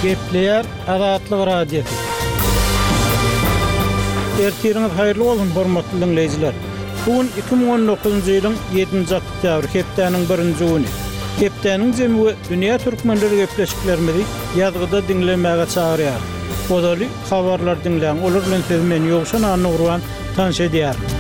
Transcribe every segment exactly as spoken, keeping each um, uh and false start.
Gepleýär Azatlyk Radiosy. Ertiriňiz haýyrly bolsun, hormatly diňleýjiler. Bu gün iki müň on dokuzynjy ýylyň ýedinji oktýabry, hepdäniň birinji güni. Hepdäniň jemi we dünýä türkmenleri gepleşiklerimizi ýazgyda diňlemäge çagyrýar. Ozaly habarlar diňläň, olar bilen siz men Ýowşan Annagurban tanyş edýärin.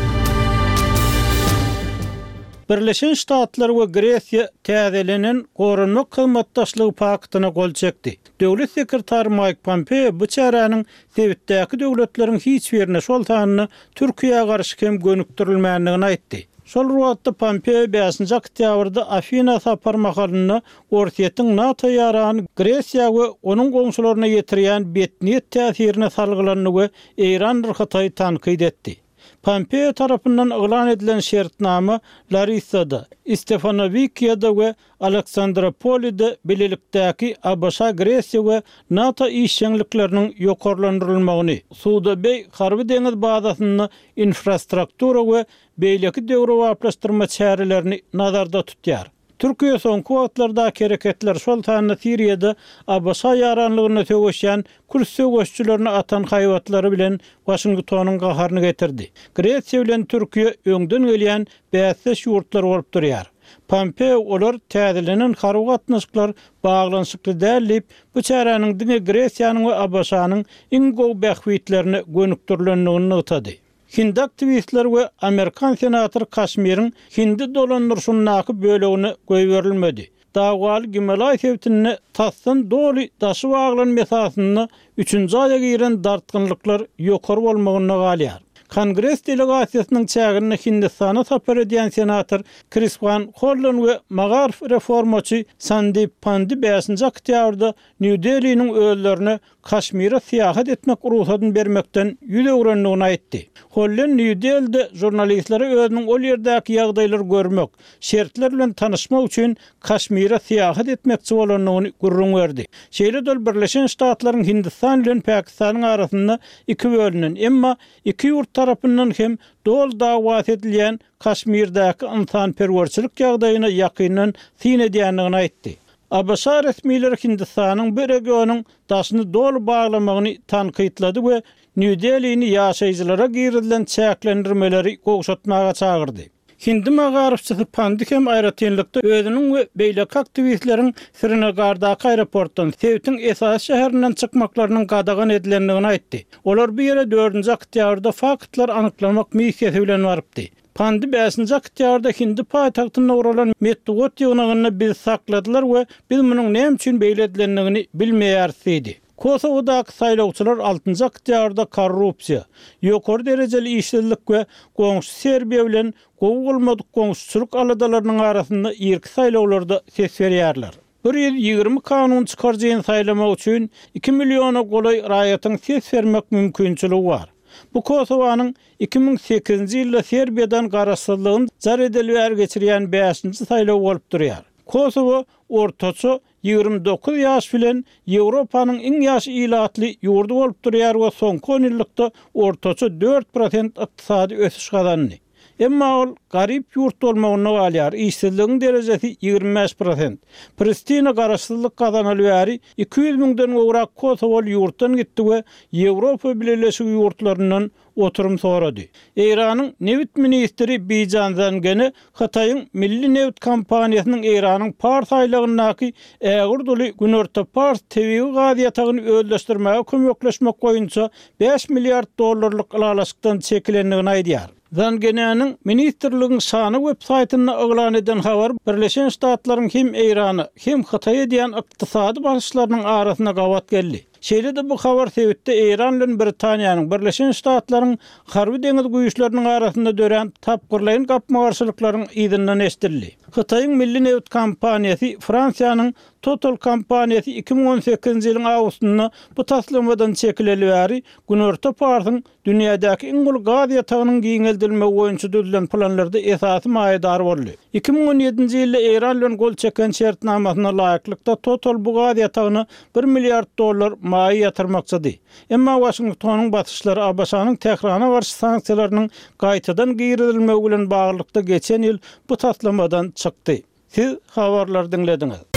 Birleşen Ştatlar we Gresiýa täzelenen goranmak hyzmatdaşlygy paktyna gol çekdi. Döwlet sekretary Maýk Pompeo bu çäräniň sebitdäki döwletleriň hiç birine, şol sanda Türkiýä garşy hem gönükdirilmändigini aýtdy. Şol wagtda Pompeo bäşinji oktýabrda Afina sapar mahalynda Orsýetiň NATO ýarany Gresiýa we onuň goňşularyna ýetirýän betniýet täsirine salgylandy we Eýrandyr Hytaý tankyt etdi. Pompeo tarapyndan yglan edilen şertnama Larissada, Stefanowikiýada we Aleksandropolide bilelikdäki A B Ş, Gresiýa we NATO işjeňlikleriniň ýokarlandyrylmagyny, Suda Beý harby deňiz bazasynda infrastruktura we beýleki döwrebaplaşdyrma çärelerini nazarda tutýar. Türkiýe soňky wagtlardaky hereketler şol sanda Siriýada A B Ş ýaranlygyna söweşýän kürt söweşçilerini atan haýbatlary bilen Waşingtonyň gaharyny getirdi. Gresiýa bilen Türkiýe öňden gelýän bäsdeş ýurtlar bolup durýar. Pompeo olar täzelenen harby gatnaşyklar baglanyşykly däl diýip, bu çäräniň diňe Gresiýanyň we A B Ş-nyň iň gowy bähbitlerine gönükdirilendigini nygtady. Hindi aktiwistler we Amerikan senatory Kaşmiriň Hindi dolandyryşyndaky bölegine goýberilmedi. Dawgaly Gimalaý sebitinde tasdan doly daşy baglan mesasynda üçünji aýa giren dartgynlyklar ýokary bolmagyna galýar. Kongres delegasiýasynyň çäginde Hindistana sapar edýän senator Chris Van Hollen we magaryf reformaçy Sandip Pandi bäşinji oktýabrda Nýu Deliniň özlerine Kaşmire syýahat etmek rugsatyn bermekden ýüz öwrendigini aýtdy. Hollen Nýu Delide žurnalistlere özüniň ol ýerdäki ýagdaýlary görmek, şertler bilen tanyşmak üçin Kaşmire syýahat etmekçi bolandygyny gürrüň berdi. Şeýle-de ol Birleşen Ştatlaryň Hindistan bilen Pakistanyň arasynda iki bölünen, emma iki ýurt tarapyndan hem doly dawasy edilýän Kaşmirdäki ynsanperwerçilik ýagdaýyna ýakyndan syn edýändigini aýtdy. A B Ş resmileri Hindistanyň bu regionyň daşyny doly baglamagyny tankytlady we Nýu Delini ýaşaýjylara girizilen çäklendirmeleri gowşatmaga çagyrdy. Hindi magaryfçysy Pandi hem aýratynlykda özüniň we beýleki aktiwistleriň Srinagardaky aeroportdan sebitiň esasy şäherinden çykmaklarynyň gadagan edilendigini aýtdy. Olar bu ýere dördünji oktýabrda faktlar anyklamak missiýasy bilen barypdy. Pandi bäşinji oktýabrda Hindi paýtagtynda guralan metbugat ýygnagynda bizi sakladylar we biz munuň näme üçin beýle edilendigini bilmeýäris diýdi. Kosowadaky saýlawçylar altynjy oktýabrda korrupsiýa, ýokary derejeli işsizlik we goňşy Serbiýa bilen gowy bolmadyk goňşuçylyk aladalarynyň arasynda irki saýlawlarda ses berýärler. Bir ýüz ýigrimi kanun çykaryjyny saýlamak üçin iki milliona golaý raýatyň ses bermek mümkinçiligi bar. Bu Kosowanyň iki müň sekizinji ýylda Serbiýadan garaşsyzlygyny jar edeli bäri geçirýän bäşinji saýlaw bolup durýar. Kosowa ortaça ýigrimi dokuz ýaş bilen Ýewropanyň iň ýaş ilatly ýurdy bolup durýar we soňky on ýyllykda ortaça dört prosent ykdysady ösüş gazandy. Emma ol garyp ýurt bolmagyna galýar, işsizligiň derejesi ýigrimi bäş prosent. Pristina garaşsyzlyk gazanaly bäri iki ýüz müňden gowrak Kosowaly ýurtdan gitdi we Ýewropa Bileleşigi ýurtlaryndan oturum sorady. Eýranyň nebit ministri Bijan Zangene Hytaýyň Milli nebit kompaniýasynyň Eýranyň Pars aýlagyndaky ägirduly Günorta Pars tebigy gaz ýatagyny özleşdirmäge kömekleşmek boýunça bäş milliard dollarlyk ylalaşykdan çekilendigini aýdýar. Zangenäniň ministrligiň şany web saýtynda yglan eden habar Birleşen Ştatlaryň hem Eýrana, hem Hytaý edýän ykdysady basyşlarynyň arasyna gabat geldi. Şeýle-de bu habar sebitde Eýran bilen Britaniýanyň, Birleşen Ştatlaryň harby deňiz güýçleriniň arasynda dörän tapgyrlaýyn gapma-garşylyklaryň yzyndan eşidildi. Hytaýyň Milli nebit kompaniýasy Fransiýanyň Total kompaniýasy iki müň on sekizinji ýylyň awgustynda bu taslamadan çekileli bäri Günorta Parsyň dünýädäki iň uly gaz ýatagynyň giňeldilmegi boýunça düzülen planlarda esasy maýadar boldy. Iki müň on ýedinji ýylda Eýran bilen gol çeken şertnamasyna laýyklykda Total bu gaz ýatagyna bir milliard dollar maýa ýatyrmakçydy. Emma Waşingtonyň basyşlary A B Ş-nyň Tährana garşy sanksiýalarynyň gaýtadan girizilmegi bilen baglylykda geçen ýyl bu taslamadan çykdy. Siz habarlary diňlediňiz.